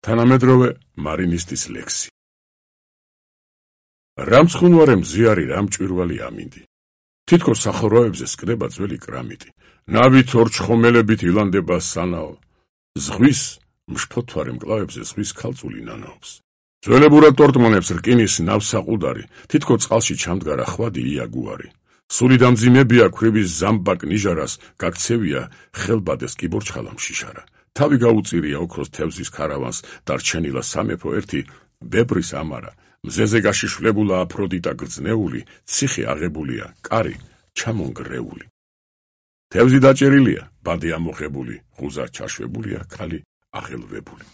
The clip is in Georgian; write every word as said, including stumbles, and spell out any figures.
თანამედროვე მარინისტის ლექსი. რამ ცხუნვარე მზიარი, რამ ჭვირვალი ამინდი. თითქოს სახურავებზე სკდება ძველი კრამიტი. ნავით ორჩხომელებით ილანდება სანაო. ზღვის მშფოთვარე მკლავებზე ზღვის ქალწული ნანაობს. ძველებურად ტორტმონებს რკინის ნავსაყუდარი, თითქო წყალში ჩამდგარა ხვადი იაგუარი. სული დამძიმებია ქვრივის ზამბაკ ნიჟარას, გაქცევია ხელბადეს კიბორჩხალა მშიშარა. თავი გაუწირია ოქროს თევზის ქარავანს, დარჩენილა სამეფო ერთი ბებრის ამარა. მზეზე გაშიშვლებულა აფროდიტა გრძნეული, ციხე აღებულია, კარი ჩამონგრეული. თევზი დაჭერილია, ბადე ამოხებული, ღუზა ჩაშვებულია, ქალი აღელვებული.